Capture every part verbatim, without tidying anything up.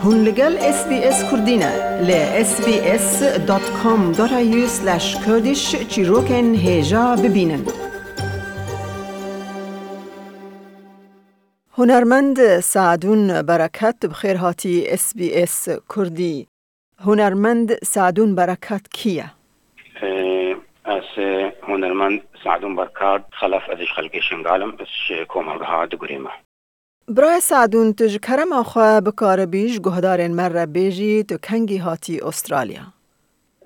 Hûn li gel S B S Kurdî ne. Li S B S dot com dot A U slash Kurdish çîrokên hêja bibînin. Hunermend Sadûn Bereket, bi xêr hatî S B S Kurdî. Hunermend Sadûn Bereket kî ye? Ee, ez, e, hunermend Sadûn Berkat Xelef, ez ji xelkê Şingal im, ez ji komelgeha Digurê me. Birayê Sadûn, tu ji kerema xwe bikaribî ji guhdarên me re bêjî, tu kengî hatî Australya?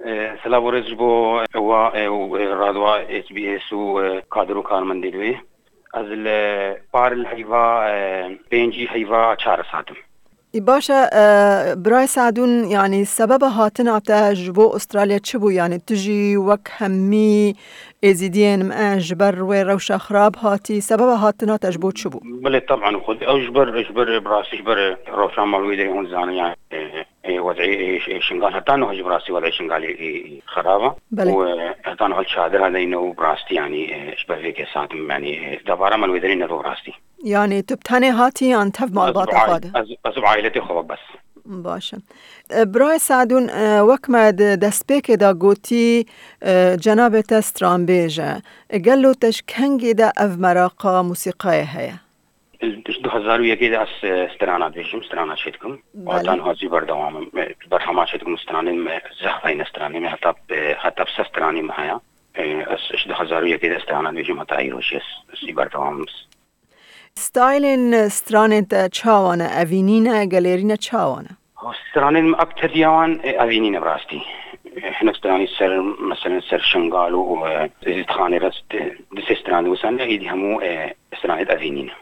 E, silav û rêz ji bo we, e, û, e, radwa S B S û, e, kadir û karmendên wê. Ez li par li heyva, e, pêncî heyva çar hatim. Ê, baş e, e, birayê Sadûn, yanî sebeba hatina te ji bo Australya çi bû? Yanî tu jî wek hemî Êzîdiyên me ji ber wê rewşa xirab hatî, sebeba hatina te ji bo çi bû? Belê, teban, xwedî ew ji ber, ji ber, bi rastî ji ber rewşa mal wê derê hûn zanin, yani, e, e, wezî, e, Ş-, Şingal heta niha jî bi rastî wezî Şingalê, e, e, xirab e. Belê. Û, e, heta niha li çadira de ne û bi rastî, yani, e, ji ber vê kesê hatim, yani, e, debara mal wê derê ne bi rastî. Yani, tu bi tenê hatî yan tev malbata xwe de? Ez, ez bi aîletê xwe bes. Baş e. E, Birayê Sadûn, e, wek me di destpêkê de gotî, e, cenabê te stranbêj e. E, gelo te ji kengê de ev meraqa musîqayê heye? Ji du hezar û yekê de ez, e, strana dibêjim, strana çêdikim. Belê. Heta niha jî berdewam im. E, berhema çêdikim stranên me, zehf heyne stranên me, heta, e, heta bi sed stranên me heye. E, ez ji du hezar û yekê de strana dibêjim, heta îro jî ez, ez jî berdewam im. Stylên stranên te çawa ne? Evînî ne, gelêrî ne, çawa ne? Stranên me, ektediya wan, e, evînî ne bi rastî. E, hinek stranî ser, meselen ser Şingal û, û, e, Zîdxanê re, e, du sê stran diwisane, êdî hemû, e, stranê evînî ne.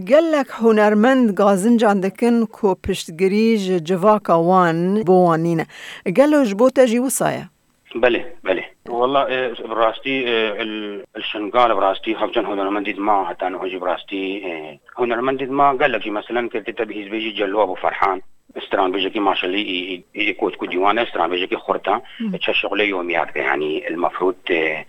Gelek hunermend gazincan dikin ku piştgirî ji civaka wan bo wan nîne. Gelo ji bo te jî wisa ye? Belê, belê. Wala, e, bi rastî, e, li, li Şingal bi rastî hevcan hunermendî dima, heta niha jî bi rastî, e, hunermendî dima gelek jî, meselen, girtî te bihîs bêjî Celo Ebû Ferhan, stranbêjekî maşelî, î, î, î, kot ku dîwan e, stranbêjekî xurt e, Hı. çe şixulê yomî dike, yanî, el mefrûd, e,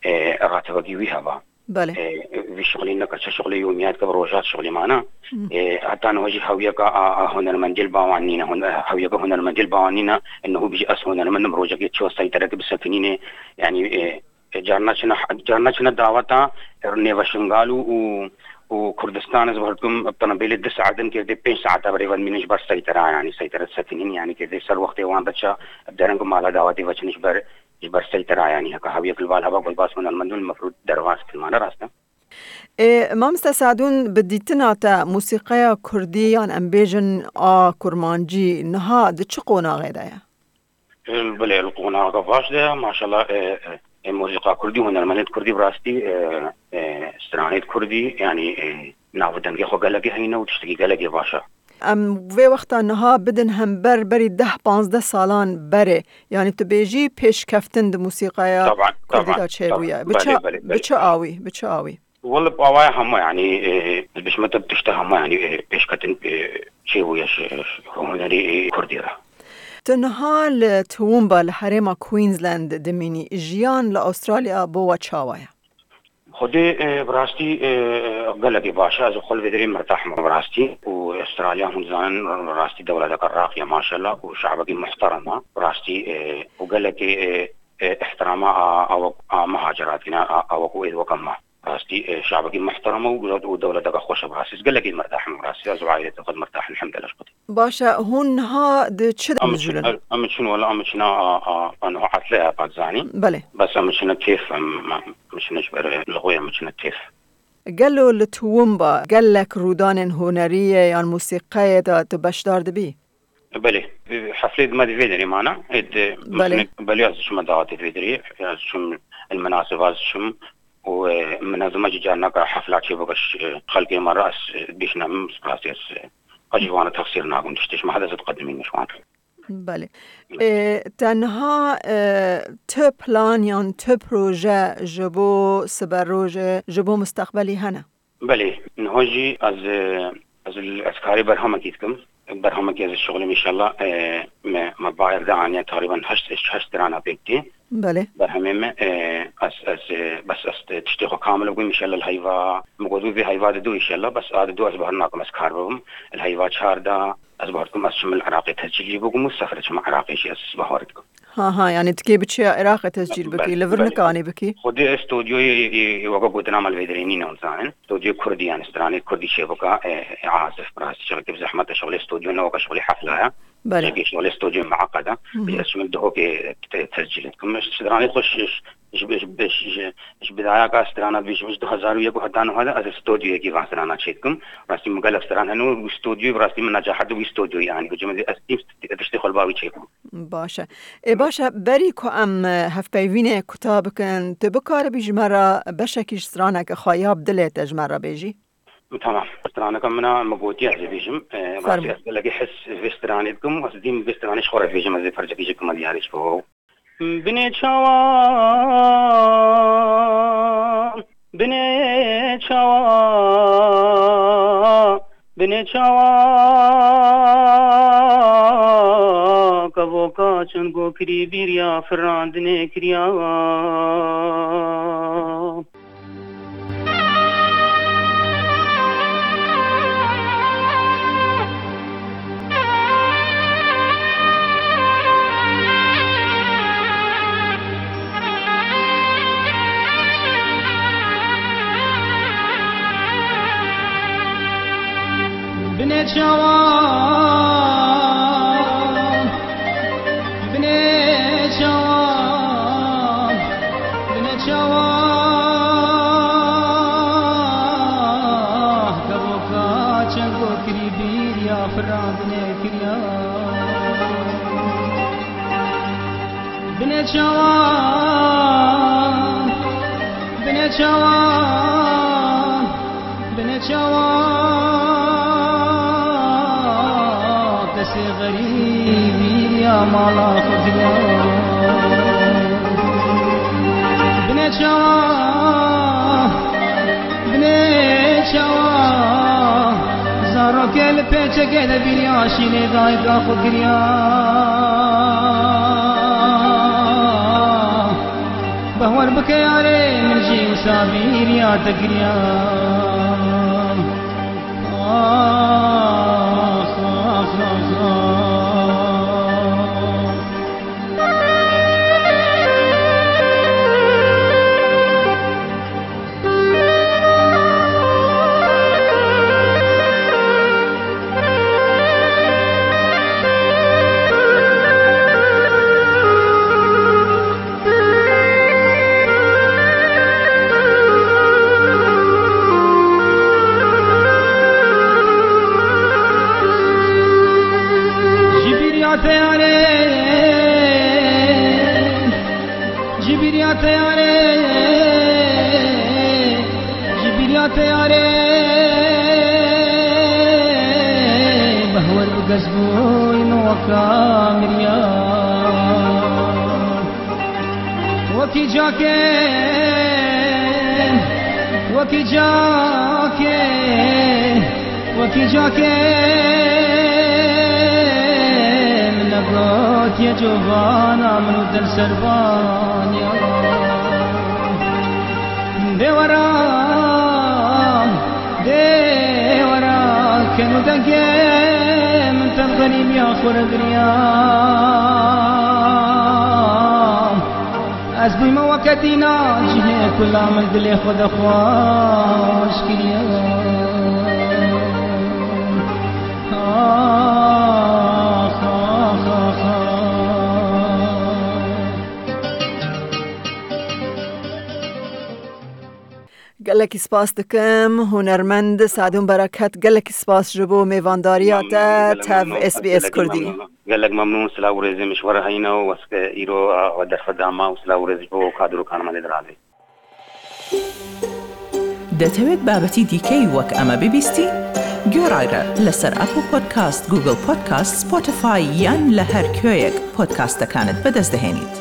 e, ratibekî wî heba. Belê. E, vî şixulî neke, çi şixulê yomî dike, bi rojat şixulî mane. Hı. E, heta niha jî hewiyeka a, a hunermendî li ba wan nîne. Hun-, hewiyeka hunermendî li ba wan nîne. Niha bijî ez hunermend im, rojekê çi seytereke bisekinîne. Yanî, e, e, carna çine, carna çine daweta, e, nêve Şingal û, û, û Kurdistan, ez bi hurd kim, bi tenebêlê du saet in, kê dê pênc saeta berê ve dimînin ji ber seytera, yanî seytera disekinîn, yanî kê dê ser wextê wan diçe, bi dereng û mala dawetê ve çin ji ber ji ber seytera, yanî heke hewiyek li bal heba, gulbas hunermend û li mefrûd derbas kilmane rast e. Ê, Mamoste Sadûn, bi dîtina te, musîqeya kurdî yan em bêjin a kurmancî niha di çi qonaxê de ye? Ê, belê, li qonaxeke baş de ye, maşallah, ê, ê, ê, musîqa kurdî, hunermendên kurdî bi rastî, ê, ê, stranêt kurdî, yanî, ê, nav û dengê xwe gelekî heyne û tiştekî gelekî baş e. Em vê wexta niha bidin hember berî deh panzdeh salan berê. Yanî tu bêjî pêşkeftin di musîqaya Taban, kurdî taban, de çêbûye. taban. Bi çi, Belê, belê, bi belê. çi awî? Bi çi awî? Wele bi awaya hemû, yanî, e, ez bişime te bi tişta hemû, yanî, e, pêşketin, e, çêbûye ji, ji hunerê, e, kurdî re. Tu niha li Toowoomba li herêma Queensland dimînî. Jiyan li Australya bo we çawa ye? Xwedê, e, bi rastî, e, gelekî baş e. Ez xwe li vê derê mirtah me bi rastî. Û Australya, hûn dizanin, bi rastî dewleteke raqî ye, maşallah, û şabekî muhterem e. Bi rastî, e, û gelekî, e, e, ihtirama a, a wek, a muhacirat kine, a, a wek û êd weke me. Bi rastî, e, şabekî muhterem e û, û dewleteke xweş e bi rastî. Ez gelekî mirtah me bi rastî. Ez û aîletê xwe mirtah, elhamdülillah, ji Xwedê. Baş e, hûn niha di çi de Em mijûl in? çin, em çin, wela em çin a, a, a, a, niha etle ya, pat zanî. Belê. Bes em çin kêf, em, em, em çin ji ber, e, li xwe em çin kêf. Gelo li Toowoomba gelek rûdanên hunerî ye yan musîqeyê de tu beşdar dibî? Belê. Heflê di me di vê derê mane. Ê di Belê. Belê, ez diçime dawetê di vê derê. Ez diçim, el menaseba ez diçim. Û, e, min ez dima jî carnaka hefla çê bike, e, xelkê me re ez, e, bişînim, spasê ez, e, ez jî wana texsîr nakim. Tiştê ji me hede ez diqedimînim ji wan. Belê. E, te niha, e, tu plan yan tu proje ji bo siberojê, ji bo mustaqbelî hene? Belê, niha jî ez, e, ez, ez karê berhemekî dikim. Berhemekî ez şixulim înşallah, e, me, me bayir de aniye, teqrîben heşt, heşt strana pêk tê. Belê. Berhemê me, e, ez, ez, e, bes ez tiştê xwe kamil bikim înşallah, li heyva, min got vê heyva didu înşallah, bes a didu ez bahir nakim ez kar bibim. Li heyva çar de, Ez bawer dikim ez çim li Iraqê tescîl jî bikim û sefere çim Iraqê jî ez bawer dikim. Ha, ha, yani tikê biçiya Iraqê tescîl bikî, Belê, li vir belê. Nikanî bikî? Xwedî ez studyoyê, e, e, weke gotina me li vê derê nîne, hûn zanin. Studyoyê Kurdî, yani stranê Kurdî çêbika, e, e, azif, bi rastî şixlekî bi zehmet e, şixulê studyo ne weke şixulê hefla ye. Belê. Çimkî şixulê studyo mueqed e. Hı hı. Ez çim li Dihokê te-, tescîl dikim. Stranê xwe ji, ji, ji, ji, ji, ji bidayaka strana dibêjim, ji du hezar û yek û heta niha de ez li studyoyekî van strana çêdikim. Rastî min gelek stran hene û studyoyê bi rastî min necahet di wî studyoyê anî. Hûn cem ez tiştê xwe li ba wî çêkim. Baş e. Ê, baş e, berî ku em, e, hevpeyvînê kuta bikin, tu bikaribî ji me re beşekî ji straneke xwe ya bi dilê te ji me re bêjî? Tamam. Straneke min a, min gotiye ez ê bêjim. E, Fermo. Rastî ez gelekî hez vê stranê dikim û ez dîm vê stranê ji xwe re bêjim, ez ê percekî ji kima diyarî ji bo. Binê çawa, binê çawa, binê çawa, kevoka çend go kirî bîriya firandinê kiriya. Binê çawa, binê çawa, binê çawa, kevoka çend go kirî bîriya firandinê kiriya. Binê çawa, binê çawa, binê çawa, kesê xerîbî ya mala xwe diya. Binê çawa, binê çawa, zarokê li pêçekê de bîriya şînê dayika xwe kiriya. Behwer bike yarê min jî wisa bîriya te kiriya. Ax, ax, ax, ax. Ji bîriya te yarê, ji bîriya te yarê, ji bîriya te yarê, behwer bi gez bûyî min weka miriya. Wekî cakê, wekî cakê, wekî cakê min negotiye covana min û dil serbaniya. Dêwera, dêwera, ken û dengê min tev xerîbiya xwe re giriya. Ez bûyme weke dîna cihê kula min dilê xwe de xweş kiriye. Ax, ax, ax, ax. Gelekî spas dikim, hunermend Sadûn Bereket, gelekî spas ji bo mêvandariya te tev S B S Kurdî. Gelek memnûn, silav û rêzê min ji we re heyne û wes ke îro, a, we derfet da ma û silav û rêz ji bo kadrokan me lê diradê. دەتەوێت بابەتی دیکەی وەک ئەمە ببیستی؟ گوێڕایرە لەسەر ئەپڵ پۆدکاست، گوگڵ پۆدکاست، سپۆتیفای یان لە هەر کوێیەک پۆدکاستەکانت بەدەست دەهێنیت.